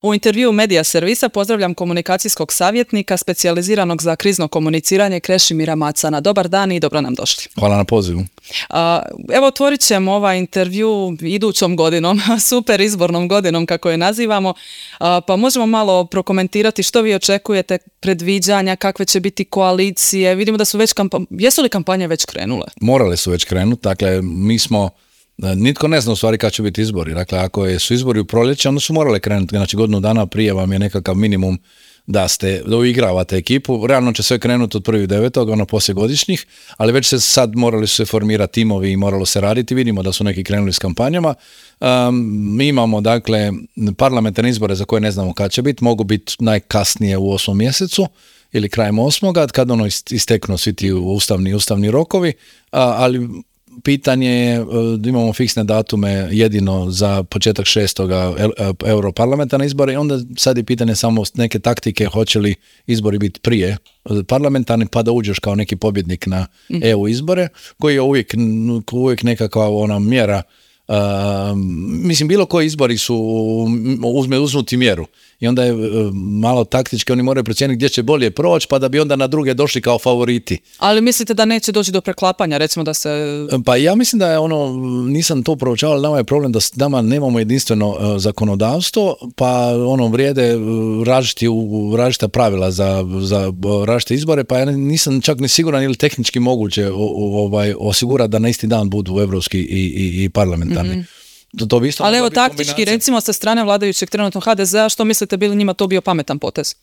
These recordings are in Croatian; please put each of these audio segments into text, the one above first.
U intervjuu Medija servisa pozdravljam komunikacijskog savjetnika specijaliziranog za krizno komuniciranje Krešimira Macana. Dobar dan i dobro nam došli. Hvala na pozivu. Evo, otvorit ćemo ovaj intervju idućom godinom, super izbornom godinom kako je nazivamo, pa možemo malo prokomentirati što vi očekujete, predviđanja, kakve će biti koalicije. Vidimo da su već jesu li kampanje već krenule? Morale su već krenuti, dakle mi smo nitko ne zna u stvari kad će biti izbori. Dakle, ako su izbori u proljeće, onda su morale krenuti. Znači, godinu dana prije vam je nekakav minimum da uigravate ekipu. Realno će sve krenuti od 1.9., ono poslije godišnjih, ali već morali su se formirati timovi i moralo se raditi. Vidimo da su neki krenuli s kampanjama. Mi imamo, dakle, parlamentarne izbore za koje ne znamo kad će biti. Mogu biti najkasnije u 8. mjesecu ili krajem 8. kad isteknu svi ti ustavni rokovi, ali pitanje je da imamo fiksne datume jedino za početak 6. europarlamentarne izbore i onda sad je pitanje samo neke taktike, hoće li izbori biti prije parlamentarni pa da uđeš kao neki pobjednik na EU izbore, koji je uvijek nekakva ona mjera. Mislim, bilo koji izbori su uzmuti mjeru i onda je malo taktički, oni moraju procijeniti gdje će bolje proći pa da bi onda na druge došli kao favoriti. Ali mislite da neće doći do preklapanja, recimo da se... Pa ja mislim da je nisam to proučavao, ali nama je problem da nama nemamo jedinstveno zakonodavstvo, pa vrijede različita pravila za različite izbore, pa ja nisam čak ni siguran ili tehnički moguće osigurati da na isti dan budu evropski i parlamentarni. Mm-hmm. Ali evo taktički, recimo sa strane vladajućeg trenutno HDZ-a, što mislite bi li njima to bio pametan potez?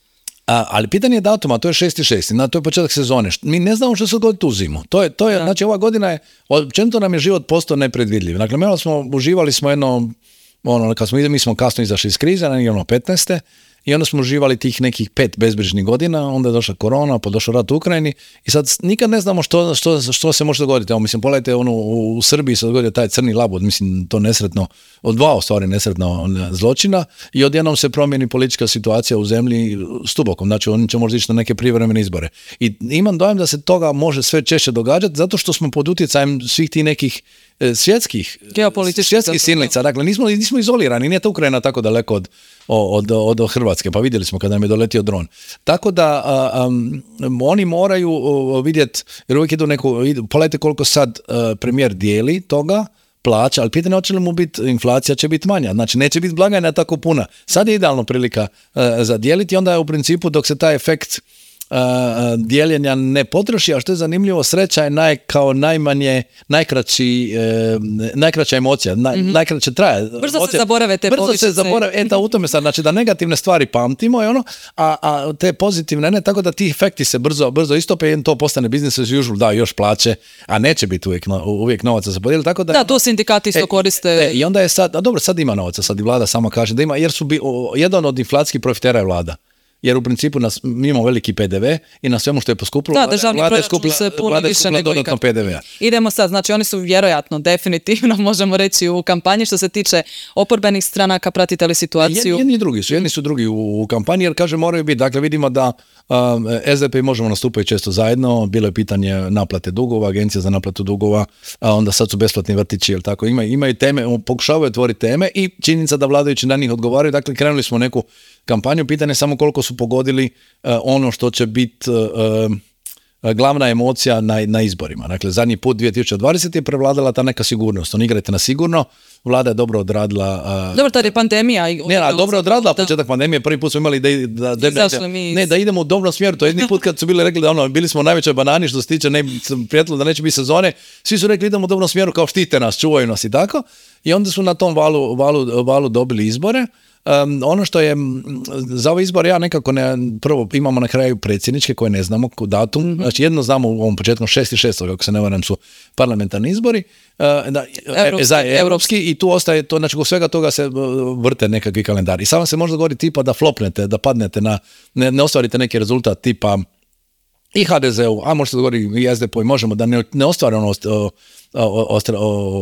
Ali pitanje je datuma, to je 6.6. To je početak sezone. Mi ne znamo što se dogoditi u zimu. To je, znači ova godina je, općenito nam je život postao nepredvidljiv. Dakle, uživali smo mi smo kasno izašli iz krize, negdje 15. I onda smo uživali tih nekih 5 bezbrižnih godina, onda je došla korona, pa došao rat u Ukrajini i sad nikad ne znamo što se može dogoditi. Evo, mislim, pogledajte, u Srbiji se dogodio taj crni labud, mislim, to nesretno, od 2 stvari nesretno zločina i odjednom se promijeni politička situacija u zemlji stubokom, znači oni će možda ići na neke privremene izbore. I imam dojam da se toga može sve češće događati zato što smo pod utjecajem svih tih nekih svjetskih silnica. Dakle, nismo izolirani, nije to Ukrajina tako daleko od Hrvatske, pa vidjeli smo kada nam je doletio dron. Tako da oni moraju vidjeti, jer uvijek pogledajte koliko sad premijer dijeli toga, plaća, ali pitanje hoće li mu biti, inflacija će biti manja, znači neće biti blagajna tako puna. Sad je idealno prilika za dijeliti, onda je u principu dok se taj efekt dijeljenja ne potroši, a što je zanimljivo, sreća je najkraća emocija, najkraće traje. Brzo se zaborave te povišice. U tome sad, znači da negativne stvari pamtimo a te pozitivne ne, tako da ti efekti se brzo istope i to postane business as usual, da još plaće, a neće biti uvijek novaca za podijeliti. Tako da to sindikati isto koriste. I onda je sad ima novaca, sad i vlada sama kaže da ima, jer jedan od inflacijskih profitera je vlada. Jer u principu mi imamo veliki PDV i na svemu što je poskupilo, vlada je skupila dodatno PDV-a. Idemo sad, znači oni su vjerojatno, definitivno, možemo reći u kampanji što se tiče oporbenih stranaka, pratite li situaciju? Jedni su drugi u kampanji, jer kaže moraju biti, dakle vidimo da SDP i Možemo nastupaju često zajedno, bilo je pitanje naplate dugova, agencija za naplatu dugova, a onda sad su besplatni vrtići, jel tako, imaju teme, pokušavaju otvoriti teme i činjenica da vladajući na njih odgovaraju, dakle krenuli smo neku kampanju, pitanje samo koliko su pogodili ono što će biti glavna emocija na izborima. Dakle, zadnji put 2020 je prevladala ta neka sigurnost. Oni igrate na sigurno, vlada je dobro odradila... Dobro, tada je pandemija. Dobro odradila početak pandemije. Prvi put smo imali da idemo u dobrom smjeru. To je jedni put kad su bili rekli da bili smo u najvećoj banani što se tiče prijetilo da neće biti sezone. Svi su rekli idemo u dobrom smjeru kao štite nas, čuvaju nas i tako. I onda su na tom valu dobili izbore. Ono što je za ove izbore, ja nekako prvo imamo na kraju predsjedničke koje ne znamo datum, znači jedno znamo u ovom početkom 6.6. ako se ne varam su parlamentarni izbori, europski i tu ostaje to, znači u svega toga se vrte nekakvi kalendari. I samo se može dogoditi tipa da flopnete, da padnete ne ostvarite neki rezultat tipa i HDZ-u, a može se dogoditi i SDP-u i Možemo da ne ostvare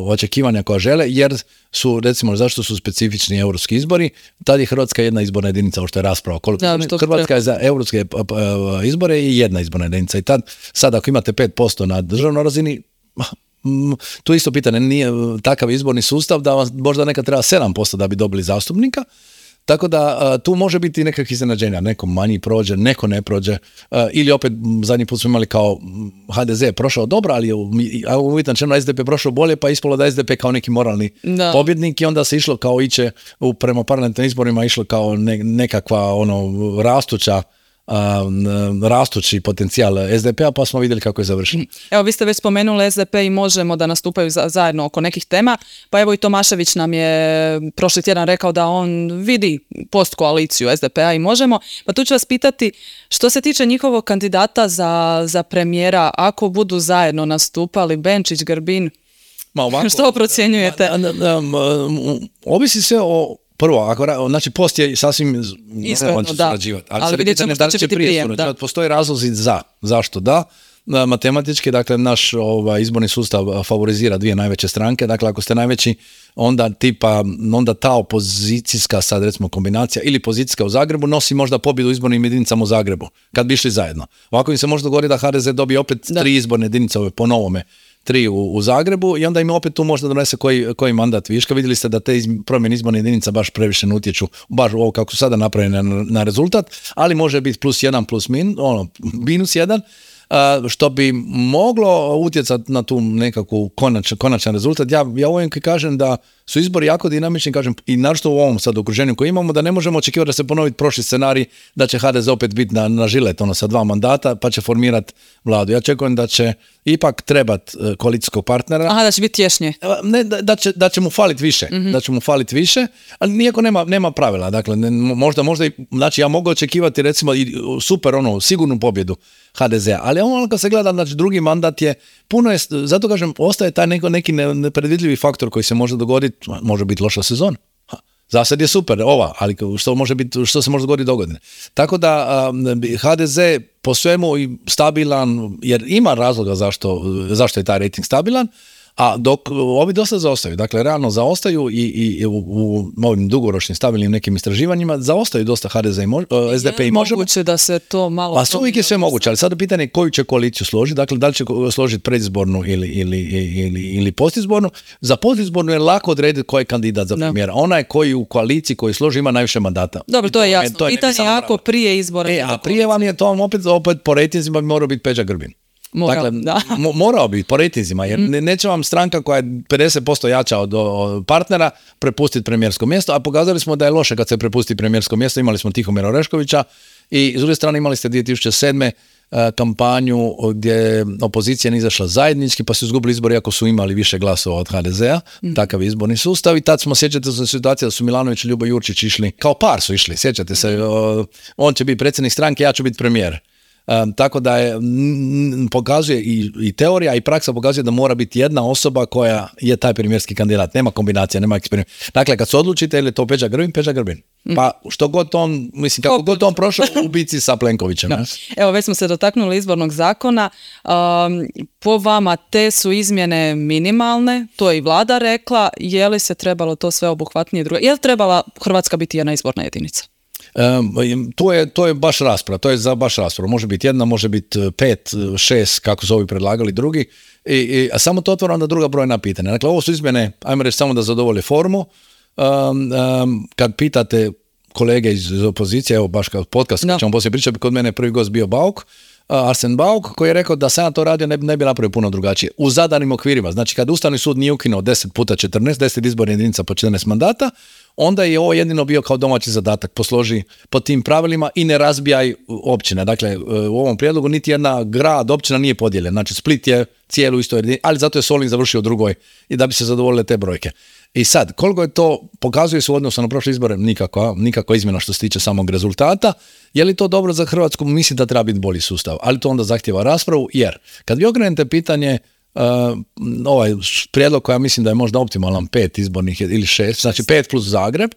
očekivanja koja žele, jer su, recimo, zašto su specifični europski izbori, tad je Hrvatska jedna izborna jedinica, ovo što je rasprava. Hrvatska je za europske izbore i jedna izborna jedinica. I sad ako imate 5% na državnoj razini, tu isto pitanje, nije takav izborni sustav da vam možda nekad treba 7% da bi dobili zastupnika, Tako da tu može biti nekakvih iznenađenja, neko manji prođe, neko ne prođe, ili opet zadnji put smo imali kao HDZ je prošao dobro, ali je uvijek načelno SDP je prošao bolje, pa ispalo da SDP kao neki moralni pobjednik i onda se išlo kao iće prema parlamentarnim izborima, išlo kao nekakva rastući potencijal SDP-a, pa smo vidjeli kako je završeno. Evo, vi ste već spomenuli SDP i Možemo da nastupaju zajedno oko nekih tema, pa evo i Tomašević nam je prošli tjedan rekao da on vidi postkoaliciju SDP-a i Možemo, pa tu ću vas pitati što se tiče njihovog kandidata za premijera, ako budu zajedno nastupali Benčić, Grbin, što procjenjujete? Ovisi sve o prvo, znači post je sasvim ispravno, da, ali vidjet ćemo što će biti prije. Postoje razlozi zašto da. Matematički, dakle, naš izborni sustav favorizira dvije najveće stranke, dakle, ako ste najveći, onda ta opozicijska, sad recimo kombinacija, ili pozicijska u Zagrebu, nosi možda pobjedu u izbornim jedinicama u Zagrebu, kad bi išli zajedno. Ovako im se može dogoditi da HDZ dobije opet 3 izborne jedinice po novome, 3 u Zagrebu i onda im opet tu možda donese koji mandat viška. Vidjeli ste da te promjene izborne jedinica baš previše ne utječu, baš ovo kako su sada napravljene na rezultat, ali može biti +1, -1, što bi moglo utjecati na tu nekakvu konačan rezultat. Ja uvijek kažem da su izbori jako dinamični, kažem, i naročito u ovom sad okruženju koje imamo, da ne možemo očekivati da se ponovi prošli scenarij, da će HDZ opet biti na žilet sa 2 mandata, pa će formirati vladu. Ja očekujem da će ipak trebati koalicijskog partnera. Aha, da će biti tješnje. Ne, da će mu faliti više. Da će mu faliti više, ali nijako nema pravila. Dakle, možda znači ja mogu očekivati recimo i super sigurnu pobjedu HDZ-a, ali kad se gleda, znači drugi mandat je puno je, zato kažem, ostaje taj neki nepredvidljivi faktor koji se može dogoditi, može biti loša sezona. Zasad je super, ali što se može dogoditi dogodine. Tako da HDZ po svemu i stabilan, jer ima razloga zašto je taj rejting stabilan, a dok ovi dosta zaostaju, dakle realno zaostaju i u ovim dugoročnim stabilnim nekim istraživanjima zaostaju dosta HDZ i SDP i Možemo. Moguće da se to malo... Pa uvijek je sve moguće, ali sada pitanje je koju će koaliciju složiti, dakle da li će složiti predizbornu ili postizbornu. Za postizbornu je lako odrediti koji je kandidat za premijera. Onaj koji u koaliciji koji složi ima najviše mandata. Dobro, to je jasno. Pitanje je ako prije izbora... A prije vam je to opet po rejtinzima bi morao biti Peđa Grbin. Morao bi po rejtinzima, jer neće vam stranka koja je 50% jača od partnera prepustiti premijersko mjesto, a pokazali smo da je loše kad se prepusti premijersko mjesto. Imali smo Tihomira Oreškovića i s druge strane imali ste 2007. kampanju gdje opozicija nije izašla zajednički, pa su izgubili izbori iako su imali više glasova od HDZ-a, takav je izborni sustav i tad smo, sjećate se situacije da su Milanović i Ljubo Jurčić išli, kao par su išli, sjećate se, on će biti predsjednik stranke, ja ću biti premijer. Tako da pokazuje i teorija i praksa pokazuje da mora biti jedna osoba koja je taj premijerski kandidat. Nema kombinacija, nema eksperiment. Dakle, kad se odlučite ili je to Peđa Grbin. Pa što god on, kako god on prošao u bici sa Plenkovićem. No. Evo, već smo se dotaknuli izbornog zakona. Po vama te su izmjene minimalne, to je i vlada rekla. Je li se trebalo to sve obuhvatnije drugo? Je li trebala Hrvatska biti jedna izborna jedinica? To je baš rasprava, to je za baš raspravu. Može biti jedna, može biti 5, 6, kako su ovi predlagali drugi, a samo to otvara onda druga brojna pitanja. Dakle, ovo su izmjene, ajmo reći, samo da zadovolje formu. Kad pitate kolege iz opozicije, evo baš kao podcast, ćemo poslije pričati, kod mene prvi gost bio Bauk, Arsen Bauk, koji je rekao da sam ja to radio ne bi napravio puno drugačije. U zadanim okvirima, znači kad Ustavni sud nije ukinuo 10 puta 14, 10 izbornih jedinica po 14 mandata, onda je ovo jedino bio kao domaći zadatak, posloži po tim pravilima i ne razbijaj općine. Dakle, u ovom prijedlogu niti jedna grad, općina nije podijeljena. Znači, Split je cijelu isto jedinicu, ali zato je Solin završio u drugoj i da bi se zadovoljile te brojke. I sad, koliko je to, pokazuje se u odnosu na prošle izbore, nikakva izmjena što se tiče samog rezultata. Je li to dobro za Hrvatsku? Mislim da treba biti bolji sustav, ali to onda zahtijeva raspravu, jer kad vi okrenete pitanje ovaj prijedlog koja mislim da je možda optimalan 5 izbornih ili 6, znači 5 plus Zagreb,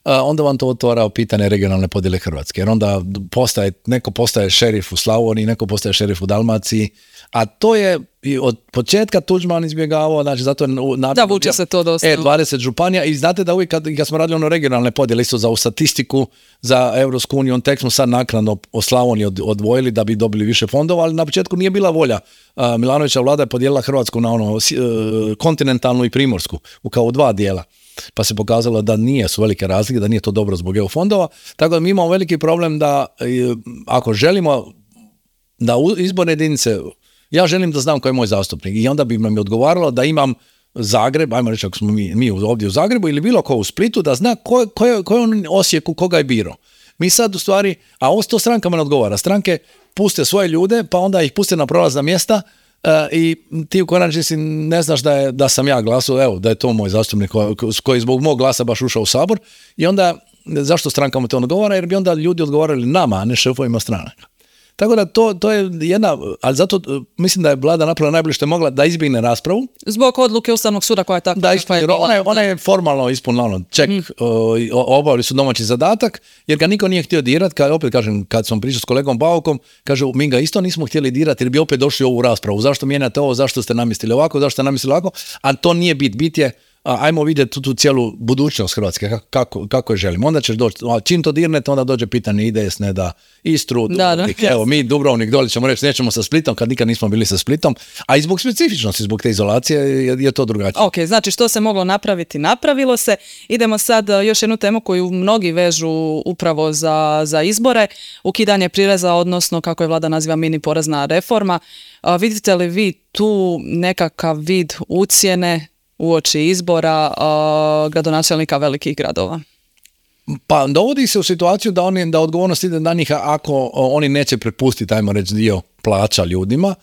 onda vam to otvara pitanje regionalne podjele Hrvatske, jer onda neko postaje šerif u Slavoniji, neko postaje šerif u Dalmaciji, a to je od početka Tuđman izbjegavao, znači zato je da vuče se to dosta. 20 županija i znate da uvijek kad smo radili regionalne podjele isto za statistiku za Europsku uniju, on tek smo sad naknadno o Slavoniji odvojili da bi dobili više fondova, ali na početku nije bila volja. Milanovića vlada je podijelila Hrvatsku na kontinentalnu i primorsku, kao 2 dijela. pa se pokazalo da su velike razlike, da nije to dobro zbog EU fondova, tako da mi imamo veliki problem da ako želimo da izborne jedinice, ja želim da znam ko je moj zastupnik i onda bi nam odgovaralo da imam Zagreb, ajmo reći ako smo mi ovdje u Zagrebu ili bilo ko u Splitu, da zna ko je on Osijeku, koga je birao. Mi sad u stvari, a ovo to strankama ne odgovara. Stranke puste svoje ljude, pa onda ih puste na prolazna mjesta i ti u konačnici ne znaš da sam ja glasao, evo, da je to moj zastupnik koji zbog mog glasa baš ušao u Sabor i onda zašto strankama to odgovara? Jer bi onda ljudi odgovarali nama, a ne šefovima stranaka. Tako da to je jedna, ali zato mislim da je vlada napravila najbolje što je mogla da izbjegne raspravu. Zbog odluke Ustavnog suda koja je tako. Da, ona je formalno ispunila ček, obavili su domaći zadatak, jer ga niko nije htio dirati, opet kažem, kad sam pričao s kolegom Baukom, kaže, mi ga isto nismo htjeli dirati, jer bi opet došli u ovu raspravu. Zašto mijenjate ovo, zašto ste namjestili ovako, zašto ste namjestili ovako, a to nije bit je ajmo vidjeti tu cijelu budućnost Hrvatske, kako je želimo. Onda ćeš doći, čim to dirnete, onda dođe pitanje IDS, ne da Istru, Dubrovnik. Evo, mi Dubrovnik doli ćemo reći, nećemo sa Splitom, kad nikad nismo bili sa Splitom, a i zbog specifičnosti, zbog te izolacije je to drugačije. Ok, znači što se moglo napraviti, napravilo se. Idemo sad još jednu temu koju mnogi vežu upravo za izbore, ukidanje prireza, odnosno kako je vlada naziva mini porezna reforma. Vidite li vi tu nekakav vid ucjene uoči izbora gradonačelnika velikih gradova? Pa dovodi se u situaciju da odgovornost ide na njih ako oni neće prepustiti, ajmo reći, dio plaća ljudima,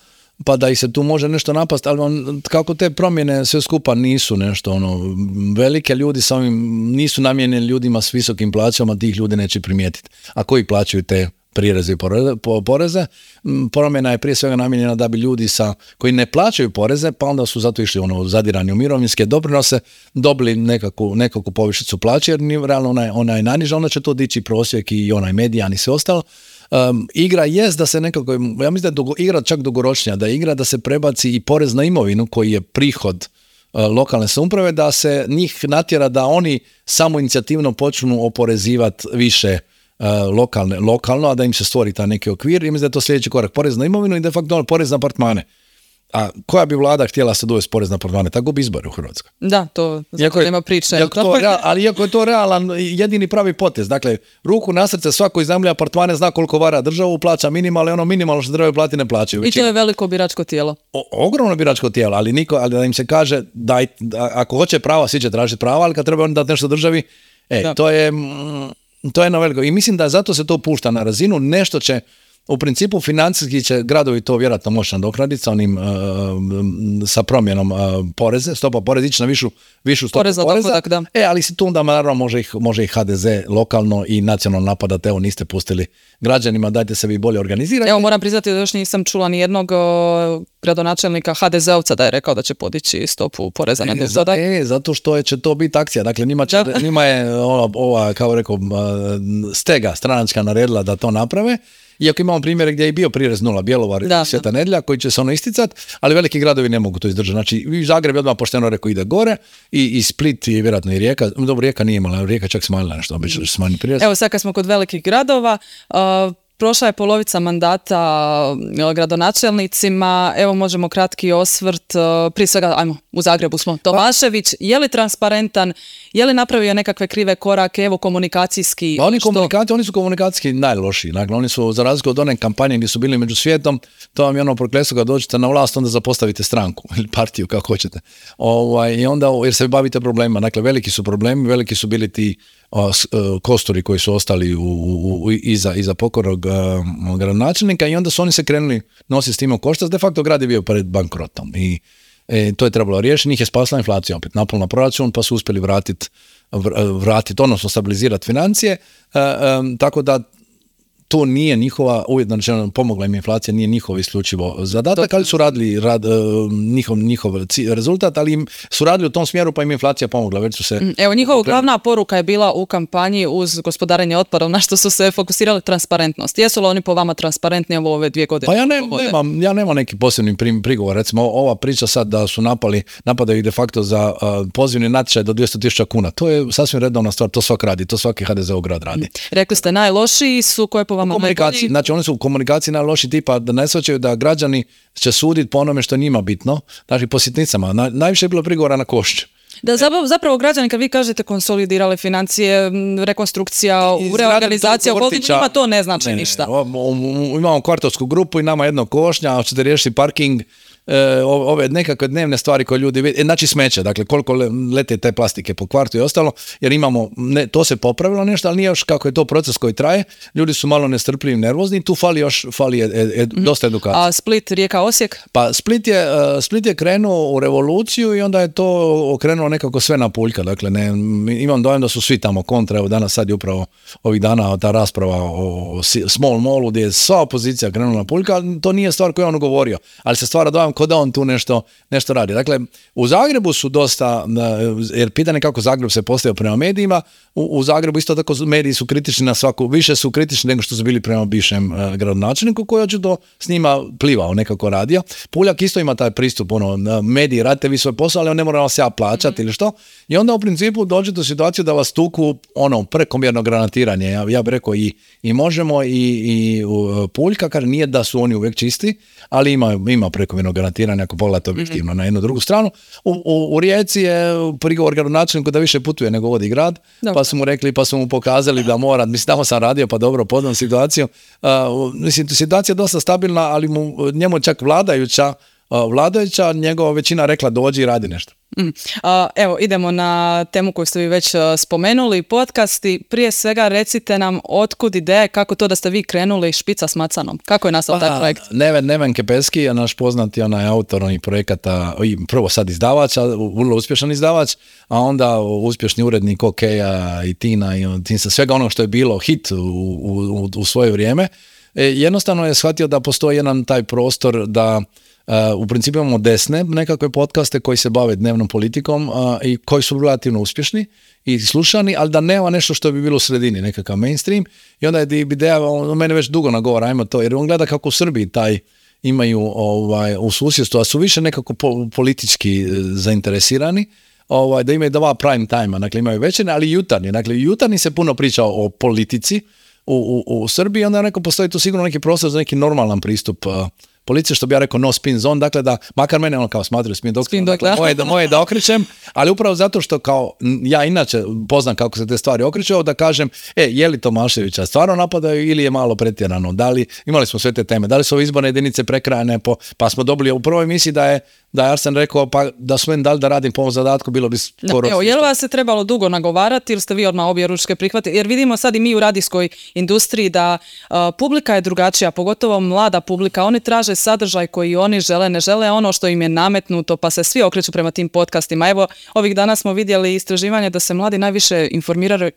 pa da ih se tu može nešto napast, ali kako te promjene sve skupa nisu nešto velike, ljudi sa ovim nisu namijenjeni ljudima s visokim plaćama, tih ljudi neće primijetiti. A koji plaćaju te prireze i poreze, promjena je prije svega namijenjena da bi ljudi koji ne plaćaju poreze, pa onda su zato išli zadirani u mirovinske doprinose, dobili nekakvu povišicu plaće, jer realno ona je najniža, onda će to dići prosjek i onaj medijan i sve ostalo. Igra jest da se nekako, ja mislim da je igra čak dugoročnija, da je igra da se prebaci i porez na imovinu koji je prihod lokalne samouprave, da se njih natjera da oni samoinicijativno počnu oporezivati više lokalno, a da im se stvori taj neki okvir. I mislim da je to sljedeći korak, porez na imovinu i de facto porez na apartmane. A koja bi vlada htjela se dovesti porez na apartmane? Tako bi izbori u Hrvatskoj. Da, to nema priče. Ali iako je to realan, jedini pravi potez. Dakle, ruku na srce, svako iznajmljuje apartmane zna koliko vara državu, plaća minimalno, ono minimalno što trebaju platiti ne plaćaju. I to je veliko biračko tijelo. Ogromno biračko tijelo, ali da im se kaže ako hoće prava, svi će tražiti prava, ali kad treba on dati nešto državi, to je jedno veliko. I mislim da zato se to pušta na razinu, nešto će, u principu financijski će gradovi to vjerojatno moći nadoknaditi sa promjenom poreze, stopa poreza ići na višu stopu poreza. Dohodak, da. Ali se tu onda naravno može i HDZ lokalno i nacionalno napadati, evo niste pustili građanima, dajte se vi bolje organizirati. Evo moram priznati da još nisam čula ni jednog gradonačelnika HDZ-ovca da je rekao da će podići stopu poreza na dohodak. Zato što će to biti akcija, dakle njima je ova, kao rekao, stega stranačka naredila da to naprave. Iako imamo primjere gdje je bio prirez nula, Bjelovar i Sveta Nedjelja koji će se isticati, ali veliki gradovi ne mogu to izdržati. Znači, i Zagreb je odmah pošteno rekao ide gore i Split i vjerojatno i Rijeka. Dobro, Rijeka nije imala, Rijeka čak smanjila nešto, obično smanji prirez. Evo sad kad smo kod velikih gradova, prošla je polovica mandata gradonačelnicima, evo možemo kratki osvrt, prije svega, ajmo, u Zagrebu smo, Tomašević, je li transparentan, je li napravio nekakve krive korake, evo komunikacijski? Oni su komunikacijski najlošiji, dakle oni su za razliku od one kampanje gdje su bili među svijetom, to vam je ono prokletstvo kad dođete na vlast, onda zapostavite stranku ili partiju kako hoćete. I onda, jer se bavite problemima, dakle veliki su problemi, veliki su bili ti kosturi koji su ostali iza pokornog gradonačelnika i onda su oni se krenuli nositi s tim u koštac, de facto grad je bio pred bankrotom i to je trebalo riješiti, njih je spasila inflacija opet, napol na proračun, pa su uspjeli vratiti, odnosno stabilizirati financije, tako da to nije njihova, ujedno rečeno pomogla im inflacija, nije njihov isključivo zadatak, ali su radili njihov rezultat, ali im su radili u tom smjeru pa im inflacija pomogla. Već su se Evo, njihova glavna poruka je bila u kampanji uz gospodarenje otpadom, na što su se fokusirali transparentnost. Jesu li oni po vama transparentni u ove 2 godine? Pa ja nemam neki posebni prigovor. Recimo, ova priča sad da su napadaju de facto za pozivni natječaj do 200.000 kuna. To je sasvim redovna stvar, to svak radi, to svaki HDZ-ov grad radi. Rekli ste, najlošiji su koje po vama komunikaciji, znači oni su u komunikaciji najloši tipa da ne shvaćaju da građani će suditi po onome što je njima bitno, znači po sitnicama. Najviše je bilo prigovora na Košću. Da, zapravo građani, kad vi kažete konsolidirali financije, rekonstrukcija, reorganizacija, njima to ne znači ništa. Imamo kvartovsku grupu i nama jedno košnja, hoćete riješiti parking, ove nekakve dnevne stvari koje ljudi vidi, znači smeće, dakle koliko lete te plastike po kvartu i ostalo, jer imamo, to se popravilo nešto, ali nije još kako je to proces koji traje, ljudi su malo nestrpljivi, nervozni, tu fali dosta edukacije. A Split, Rijeka, Osijek? Pa Split je krenuo u revoluciju i onda je to okrenulo nekako sve na puljka, dakle imam dojam da su svi tamo kontra, evo danas sad je upravo ovih dana ta rasprava o small mallu gdje je sva opozicija krenula na puljka, ali to nije stvar koju je on govorio, ali se stvara dojam kao da on tu nešto radi. Dakle, u Zagrebu su dosta, jer pitanje kako Zagreb se postavio prema medijima, u Zagrebu isto tako mediji su kritični na svaku, više su kritični nego što su bili prema bivšem gradonačelniku koji očito s njima plivao, nekako radio. Puljak isto ima taj pristup, mediji, radite vi svoj posao, ali on ne mora vas ja plaćati ili što. I onda u principu dođete u situaciju da vas tuku prekomjerno granatiranje. Ja bih rekao i Možemo i Puljka, kaže nije da su oni uvijek čisti, ali ima prekomjerno granatiranje ako pogledate objektivno na jednu drugu stranu. U Rijeci je prigovor gradonačelniku da više putuje nego vodi grad, pa su mu rekli, pa su mu pokazali da mora, mislim tamo sam radio pa dobro poznam situaciju. Situacija je dosta stabilna, ali njemu čak vladajuća njegova većina rekla dođi i radi nešto. Evo, idemo na temu koju ste vi već spomenuli, podcasti. Prije svega recite nam otkud ideje, kako to da ste vi krenuli špica s macanom? Kako je nastao taj projekt? Neven Kepeski je naš poznati autor onih projekata, prvo sad izdavač, vrlo uspješan izdavač, a onda uspješni urednik OK-a i Tina i sa svega onog što je bilo hit u svoje vrijeme. Jednostavno je shvatio da postoji jedan taj prostor da u principu imamo desne nekakve podcaste koji se bave dnevnom politikom i koji su relativno uspješni i slušani, ali da nema nešto što bi bilo u sredini, nekakav mainstream. I onda je ideja, mene već dugo nagovara, ajmo to, jer on gleda kako u Srbiji imaju u susjedstvu, a su više nekako politički zainteresirani, da imaju dva prime time, dakle imaju večerne, ali i jutarnji. Dakle, jutarnji se puno priča o politici u Srbiji, onda neko postoji tu sigurno neki prostor za neki normalan pristup policije, što bi ja rekao no spin zone, dakle da, makar mene kao smatraju spin doktor, moje da okrećem, ali upravo zato što kao ja inače poznam kako se te stvari okreću, da kažem, je li Tomaševića stvarno napadaju ili je malo pretjerano, da li, imali smo sve te teme, da li su izborne jedinice prekrajane, pa smo dobili u prvoj emisiji da je Arsen rekao pa da su meni dali da radim po ovom zadatku, bilo bi skoro... Evo, je li vas se trebalo dugo nagovarati ili ste vi odmah obje ručke prihvatili? Jer vidimo sad i mi u radijskoj industriji da publika je drugačija, pogotovo mlada publika, oni traže sadržaj koji oni žele, ne žele ono što im je nametnuto, pa se svi okreću prema tim podcastima. Evo, ovih dana smo vidjeli istraživanje da se mladi najviše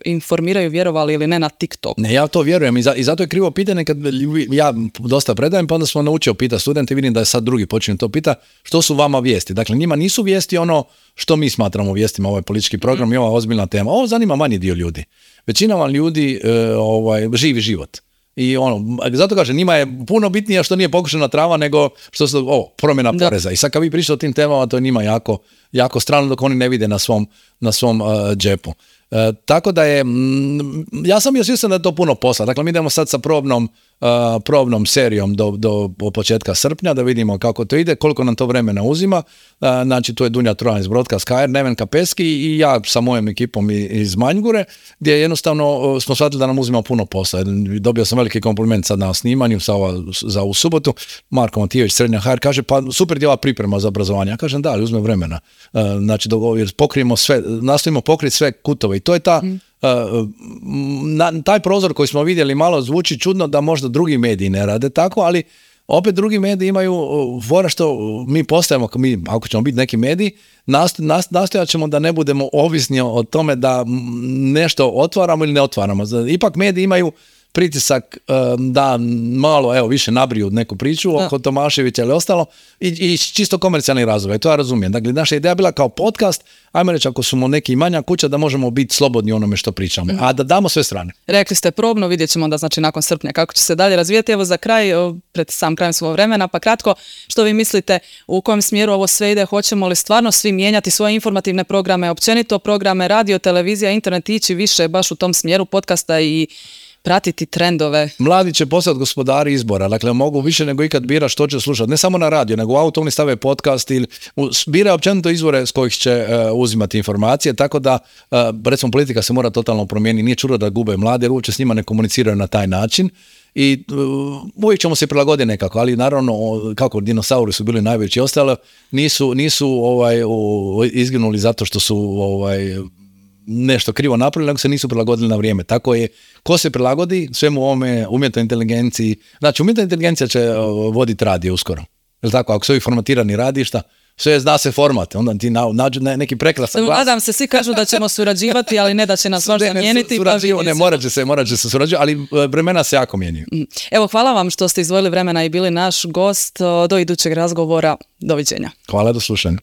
informiraju, vjerovali ili ne, na TikTok. Ne, ja to vjerujem i zato je krivo pitanje kad ja dosta predajem, pa onda smo naučio pitati studente, vidim da je sad drugi počinju to pita, što su vama vijesti. Dakle, njima nisu vijesti ono što mi smatramo vijestima, ovaj politički program i ova ozbiljna tema. Ovo zanima manji dio ljudi. Većina vam ljudi živi život. I zato kažem, njima je puno bitnije što nije pokušana trava nego što su promjena poreza. I sad kad vi pričate o tim temama, to je njima jako strano dok oni ne vide na svom džepu. Tako da je, ja sam bio svjestan da je to puno posla. Dakle, mi idemo sad sa probnom serijom do početka srpnja da vidimo kako to ide, koliko nam to vremena uzima. Znači, tu je Dunja Trojan iz Broadcast HR, Neven Kepeski i ja sa mojom ekipom iz Manjgure, gdje jednostavno smo shvatili da nam uzima puno posla. Dobio sam veliki kompliment sad na snimanju za ovu subotu. Marko Matijević, Srednja HR, kaže pa super djela priprema za obrazovanje. Ja kažem da, ali uzme vremena. Znači, pokrijemo sve, nastojimo pokriti sve kutove i to je taj prozor koji smo vidjeli malo zvuči čudno da možda drugi mediji ne rade tako, ali opet drugi mediji imaju fora što mi postajemo, ako ćemo biti neki mediji, nastojat ćemo da ne budemo ovisni o tome da nešto otvaramo ili ne otvaramo. Ipak mediji imaju pritisak da malo više nabriju neku priču oko Tomaševića ili ostalo i čisto komercijalni razlog. I to ja razumijem. Dakle, naša ideja bila kao podcast, ajmo reći ako smo neki manja kuća da možemo biti slobodni onome što pričamo, a da damo sve strane. Rekli ste probno, vidjet ćemo da znači nakon srpnja kako će se dalje razvijati. Evo za kraj, pred sam krajem svog vremena, pa kratko, što vi mislite u kojem smjeru ovo sve ide? Hoćemo li stvarno svi mijenjati svoje informativne programe, općenito programe, radio, televizija, internet, ići više baš u tom smjeru podcasta i pratiti trendove. Mladi će postati gospodari izbora, dakle mogu više nego ikad bira što će slušati, ne samo na radio, nego u auto oni stave podcast ili bira općenito izvore s kojih će uzimati informacije, tako da recimo politika se mora totalno promijeniti, nije čudo da gube mlade jer uopće s njima ne komuniciraju na taj način i uvijek ćemo se prilagoditi nekako, ali naravno kako dinosauri su bili najveći i ostalo, nisu izginuli zato što su nešto krivo napravili, nego se nisu prilagodili na vrijeme. Tako je, ko se prilagodi svemu ovome umjetnoj inteligenciji, znači umjetna inteligencija će voditi radio uskoro. Jel tako, ako su ovi formatirani radišta, sve zna se format, onda ti nađu neki prekrasan glas. Nadam se, svi kažu da ćemo surađivati, ali ne da će nas možda mijeniti. Morat će se surađivati, ali vremena se jako mijenjaju. Evo, hvala vam što ste izdvojili vremena i bili naš gost. Do idućeg razgovora. Doviđenja. Hvala, do slušanja.